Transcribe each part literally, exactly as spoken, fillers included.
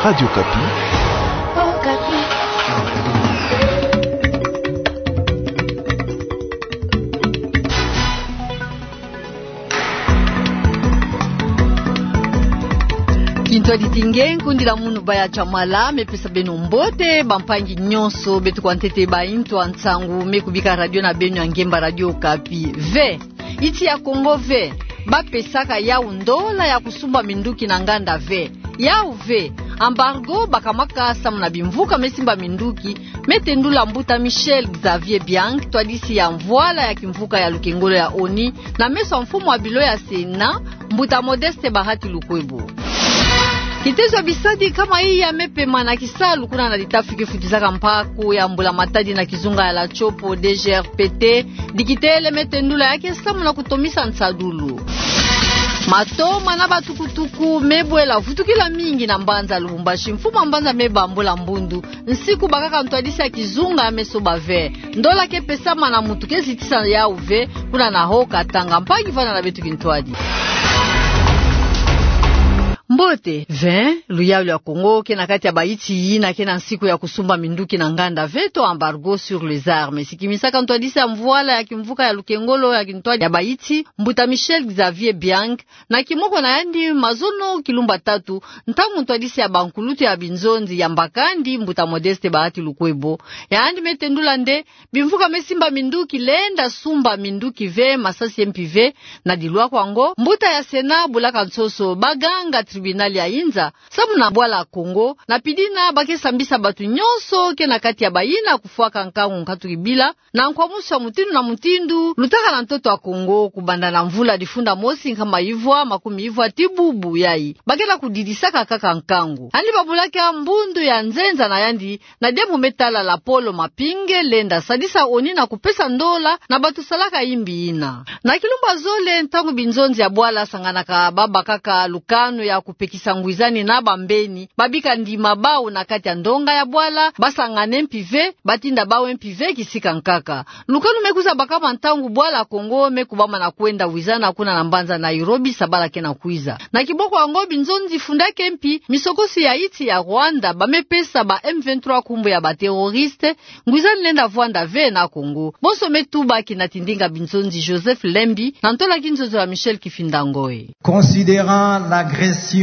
Radio Okapi. Kintwadi Tinge, nkundi la munu Baya Chamala, me pesa beno mbote, bampangi nyonso, beto kwa ntete ba intu a nsangu me kubika radio na beno ya ngemba Radio Okapi. Ve, insi ya Kongo ve, ba pesaka yau ndola ya kusumba minduki na nganda ve. Yau ve, embargo bakamaka samu na bimvuka me simba minduki, me tendula mbuta Michel Xavier Biang, ntwadisi ya mvwala ya kimvuka ya lukengolo ya ONU, na meso a mfumu a bilo ya Sénat, mbuta Modeste Bahati Lukwebo. Kitezo ya bisadi kama iya me pema na kisalu kuna na litafi ke futizaka mpaku ya mbula matadi na kizunga ya la Tshopo, D G R P T, dikitele me tendula ya ke samu na kutomisa nsadulu. Matoma na batukutuku me bwela vutukila mingi na mbanza Lubumbashi, mfumu a mbanza me bambula mbundu, nsiku bakaka ntwadisi ya kizunga me soba ve. Ndola ke pesama na muntu ke zitisa yau ve, kuna na Haut-Katanga. Mpangi, vanda na beto kintwadi. Mbote, ve, luyalu ya Kongo ke na kati ya ba insi yina ke na nsiku ya kusumba minduki na nganda ve to embargo sur les armes. Sikimisaka ntwadisi ya mvwala ya kimvuka ya lukengolo ya kintwadi ya ba insi, mbuta Michel Xavier Biang, na kimoko na yandi mazono kilumba tatu, ntangu ntwadisi ya bankulutu ya binzonzi yambakandi, mbuta Modeste Bahati Lukwebo, yandi me tendula nde bimvuka me simba minduki lenda sumba minduki ve, masasi ye mpi ve. Na dilwako yango, mbuta ya Sénat bulaka nsoso baganga tribunal ya inza samu na bwala Kongo, na pidina ba ke sambisa batu nyonso ke na kati ya bayina kufwaka nkangu nkatu kibila, na nkwamusu ya mutindu na mutindu lutaka na ntoto ya Kongo, kubanda na mvula difunda mosi nkama ivwa makumi ivwa tii bubu yayi, ba ke na kudidisaka kaka nkangu. Yandi babulaka mbundu ya nzenza na yandi, na diambu me tala lapolo mapinge lenda sadisa ONU na kupesa ndola na batu salaka imbi yina. Na kilumba zole, ntangu binzonzi ya bwala sanganaka, babakaka lukanu ya kupekisa ngwizani na bambeni, babika ndima bau na kati ya ndonga ya bwala, basangane mpi ve, batinda bau mpi ve kisika nkaka. Lukanu me kwiza bakama ntangu bwala Kongo me kubama na kwenda wizana kuna na mbanza Nairobi sabala ke na kwiza. Na kiboko yango, binzonzi fundaka mpi misokosi ya insi ya Rwanda, ba me pesa ba M vingt-trois nkumbu ya ba terroristes, ngwizani lenda vwanda ve na Kongo. Bonso me tubaki na tindinga binzonzi Joseph Lembi, na ntola kinzonzi ya Michel Kifinda Ngoi. Considérant l'agression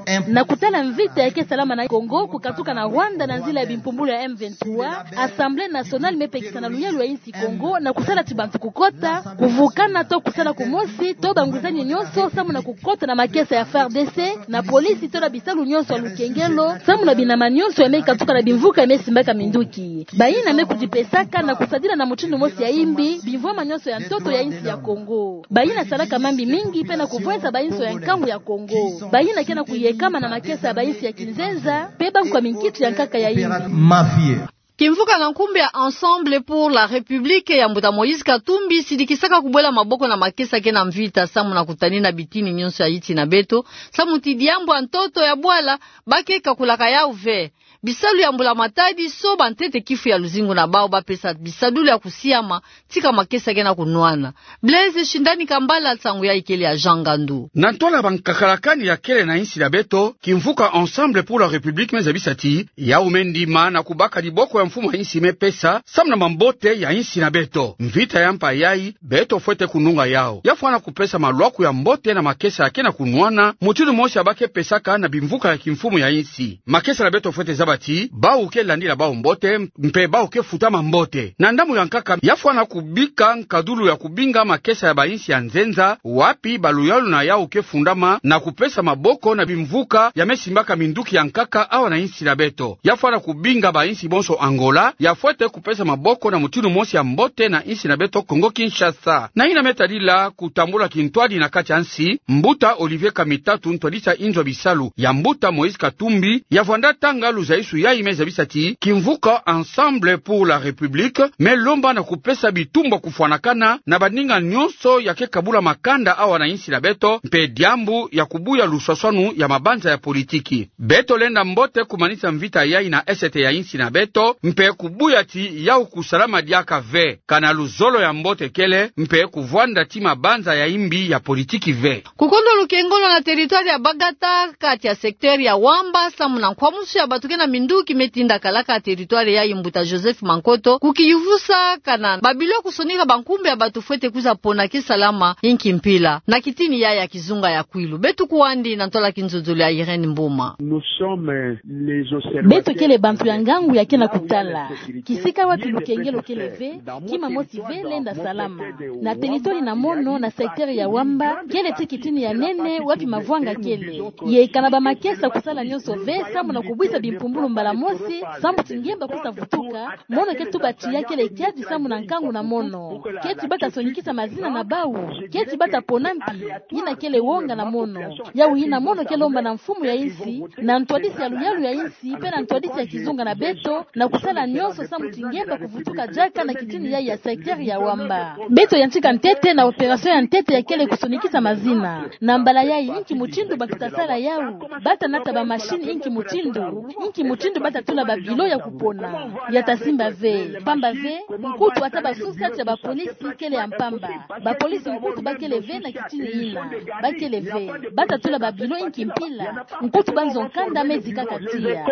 imp- Na kutala mvita ya ke salama na Kongo, kukatuka na Rwanda na nzila ya bimpumbulu ya M vingt-trois, Assemblée nationale me pekisa na luyalu ya insi Kongo na kusala ti bantu kukota, kuvukana to kusala kumosi to bangwizani nyonso samu na kukota na makesa ya F A R D C, na polisi to na bisalu nyonso ya lukengelo, samu na binama nyonso ya me katuka na bimvuka ya me simbaka minduki. Bayina me kudipesaka na kusadila na mutindu mosi ya imbi bimvwama nyonso ya ntoto ya insi ya Kongo. Bayina salaka mambi mingi mpe na kuvweza bayinso ya nkangu ya Kongo. Bayina ke na kuyekama na makesa ya bayinsi ya kinzenza, mpe bankwa minkitu ya nkaka ya imbi. Mafia. Kimvuka na nkumbu ya Ensemble pour la République ya mbuta Moïse Katumbi sidikisaka kubwela maboko na makesa ke na mvita samu na kutanina bitini nyonso ya insi na beto, samu ti diambu ya ntoto ya bwala ba ke kakulaka yau ve. Bisalu ya mbula matadi so bantete kifu ya luzingu na bau ba pesa bisadulu ya kusiama, tika makesa ke na kunwana. Blaise Shindani Kambala, nsangu yayi kele ya Jean Ngandu. Na ntola bankakalakani ya kele na insi na beto, kimvuka Ensemble pour la République me zabisa ti yau me ndima na kubaka diboko ya mfumu a insi me pesa, samu na mambote ya insi na beto. Mvita ya mpa yayi, beto fwete kununga yau. Ya fwana kupesa malwaku ya mbote na makesa ya ke na kunwana, mutindu mosi ya ba ke pesaka na bimvuka ya kimfumu ya insi. Makesa na beto fwete zaba ti bau ke landila bau mbote, mpe bau ke futama mbote. Na ndambu ya nkaka, ya fwana kubika nkadulu ya kubinga makesa ya bayinsi ya nzenza, wapi baluyalu na yau ke fundama na kupesa maboko na bimvuka ya me simbaka minduki ya nkaka awa na insi na beto. Ya fwana kubinga bayinsi bonso Angola, ya fwete kupesa maboko na mutindu mosi ya mbote na insi na beto Congo Kinshasa. Na yina me tadila kutambula kintwadi na kati ya nsi, mbuta Olivier Kamitatu, ntwadisi ya inzo ya bisalu ya mbuta Moïse Katumbi, ya vwanda tanga luzayisu yayi me zabisa ti kimvuka Ensemble pour la République me lomba na kupesa bitumba kufwanakana na baninga nyonso ya ke kabula makanda awa na insi na beto, mpe diambu ya kubuya luswaswanu ya mabanza ya politiki. Beto lenda mbote kumanisa mvita yayi na esete ya insi na beto, mpe kubuya ti yau kusalama diaka ve, kana luzolo ya mbote kele, mpe kuvwanda ti mabanza ya imbi ya politiki ve. Kukondo lukengolo na territoire ya Bagata, kati ya secteur ya Wamba, samu na nkwamusu ya bato ke na minduki me tinda kalaka territoire yayi mbuta Joseph Mankoto, kukiyuvusa kana babilo kusonika bankumbu ya bato fwete kwiza pona ke salama inki mpila, na kitini yayi ya kizunga ya Kwilu. Beto kwandi na ntwala kinzonzolo ya Irène Mboma. Nous sommes les observateurs. Beto kele bantu ya ngangu ya ke na kutala kisika wapi lukengelo kele ve, kima mosi ve lenda salama. Na territoire na mono, na secteur ya Wamba, kele ti kitini ya nene wapi mavwanga kele. Ye kana bamakesa kusala nyonso ve samu na kubwisa bimpumbulu mbala mosi, samu ti ngemba kwiza vutuka, mono ke tuba ti ya kele kiadi samu na nkangu na mono. Keti bata sonikisa mazina na bau, keti bata pona mpi, yina kele wonga na mono. Yau yina mono ke lomba na mfumu ya insi, na ntwadisi ya luyalu ya insi, mpe na ntwadisi ya kizunga na beto, na kusala nyonso samu ti ngemba kuvutuka diaka na kitini yayi ya secteur ya Wamba. Beto yantika ntete na opération ya ntete ya kele kusonikisa mazina. Na mbala yayi, inki mutindu bato ta sala yau? Bata nata bamachine inki mutindu? Inki mutindu bata tula babilo ya kupona? Ya ta simba ve. Mpamba ve, nkutu ata basosa ti ya bapolisi kele ya mpamba. Bapolisi nkutu bakele ve na kitini yina. Bakele ve. Bata tula babilo inki mpila? Nkutu banzo nkanda me zikaka tiya.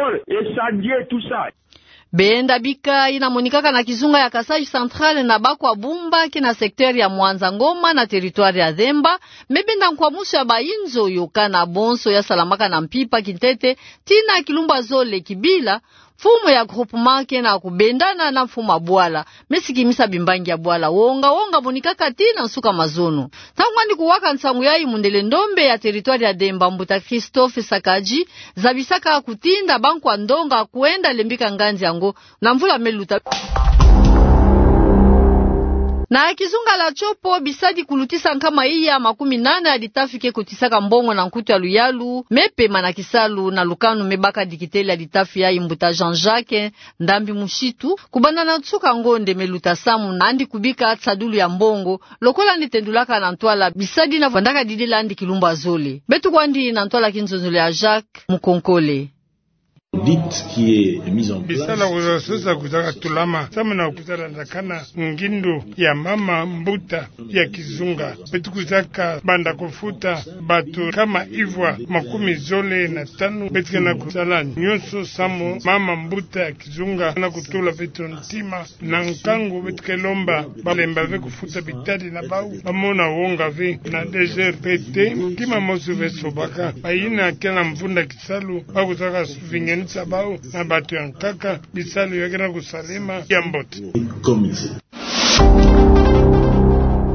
Benda bika yina monikaka na kizunga ya Kasaï Central na Bakwabumba, ke na secteur ya Mwanza Ngoma na territoire ya Zemba, me benda nkwamusu ya bayinzo yo kana bonso ya salamaka na mpimpa kintete, tii na kilumbu ya zole kibila, mfumu ya groupement ke na kubendana na mfumu ya bwala, me sikimisa bimbangi ya bwala. Wonga wonga monikaka tii na nsuka mazono. Ntangu kwandi kuwaka nsangu yayi, mundele ndombe ya territoire ya Zemba, mbuta Christophe Sakaji, zabisaka kutinda bankwa ndonga kwenda lembika nganzi yango na mvula me luta. Na kizunga ya Tshopo, bisadi kulutisa nkama iya makumi nana ya litafi ke kotisaka mbongo na nkutu ya luyalu me pema na kisalu, na lukanu me baka dikitele ya litafi yayi, mbuta Jean-Jacques Ndambi Mushitu, kubanda na nsuka ngonde me luta, samu na yandi kubika nsadulu ya mbongo, lokola yandi tendulaka na ntwala bisadi yina vandaka didila yandi kilumbu ya zole. Beto kwandi na ntwala kinzonzolo ya Jacques Mukonkole. Bisalu kwiza sosa kwizaka tulama samu na kwiza landakana ngindu ya mama mbuta ya kizunga. Beto kwizaka banda kufuta bato nkama ivwa makumi zole na tanu. Beto ke na kusala nyonso samu mama mbuta ya kizunga na kutula beto ntima na nkangu. Beto ke lomba balemba ve kufuta bitadi na bau, bamona wonga ve na D G R P T, kima mosi ve sobaka. Bayina ke na mvunda kisalu, bakwizaka vingenisa bau na bato ya nkaka, bisalu ya ke na kusalema ya mbote.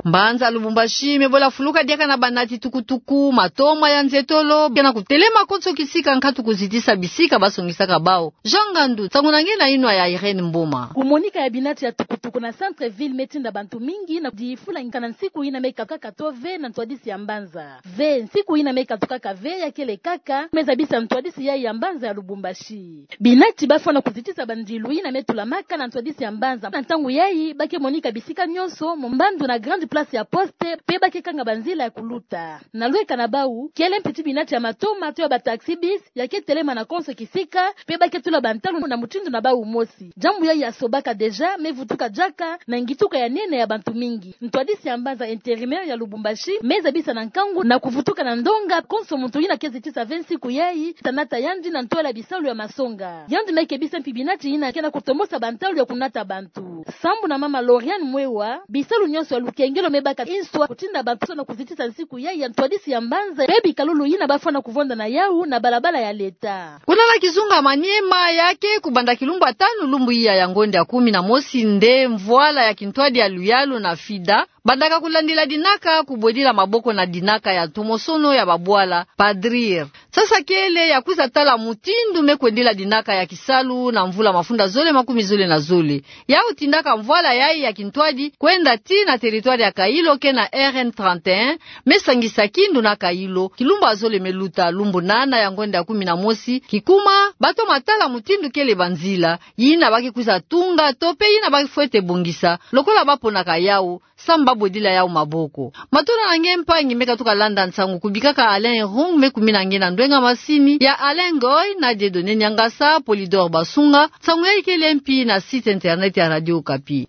Mbanza Lubumbashi me bola fuluka diaka na banati tukutuku, matoma ya nzetolo, ke na kutelema konso kisika nkatu kuzitisa bisika basongisaka bau. Jean Ngandu, nsangu na nge na yinwa ya Irène Mboma. Kumonika ya binati ya tukutuku na centre-ville me tinda bantu mingi na difula nkana nsiku yina me katukaka to ve na ntwadisi ya mbanza. Ve, nsiku yina me katukaka ve ya kele kaka, me zabisa ntwadisi yayi ya mbanza ya Lubumbashi. Binati bafwana kuzitisa bandilu yina me tulamaka na ntwadisi ya mbanza. Na ntangu yayi, ba ke monika bisika nyonso, mombandu na grande place ya poste, mpe ba ke kanga banzila ya kuluta. Na lweka na bau, kele mpi ti binati ya matoma to ya ba taxi-bis, ya ke telema na konso kisika, mpe ba ke tula bantalu na mutindu na bau mosi. Diambu yayi ya sobaka déjà, me vutuka diaka na ngituka ya nene ya bantu mingi. Ntwadisi ya mbanza, intérimaire ya Lubumbashi, me zabisa na nkangu na kuvutuka na ndonga konso muntu yina ke zitisa ve nsiku yayi, ta nata yandi na ntwala bisalu ya masonga. Yandi me kebisa mpi binati yina ke na kutombosa bantalu ya kunata bantu. Sambu na mama Lauriane Mwewa, bisalu nyonso ya lukengelo me baka inswa kutinda bantu na kuzitisa nsiku yayi ya ntwadisi ya mbanza, mpe bikalulu yina bafwana kuvonda na yau na balabala ya leta. Kuna na kizunga Maniema, ya ke kubanda kilumbu ya tanu lumbu iya ya ngonde ya kumi na mosi nde mvwala ya kintwadi ya luyalu na FIDA bandaka kulandila dinaka kubwedila maboko na dinaka ya ntomosono ya babwala, padrir. Sasa kele ya kwiza tala mutindu me kwendila dinaka ya kisalu na mvula mafunda zole makumi zole na zole. Yau tindaka mvwala yayi ya kintwadi kwenda tii na territoire ya Kailo ke na R N trente et un, me sangisa Kindu na Kailo, kilumbu ya zole me luta, lumbu nana ya ngonde ya kumi na mosi, kikuma ba toma tala mutindu kele banzila yina ba ke kwiza tunga to mpe yina ba fwete bongisa, lokola ba ponaka yau, samu babodila yawu maboko. Matona na nge mpangi, meka tuka landa nsangu kubika ka Alain Rung, me kumina nge na ndwenga masini ya Alain Ngoy, na Dieudonné Niangasa, Polydor Basunga. Nsangu ya ikele mpi na site internet ya Radio Okapi.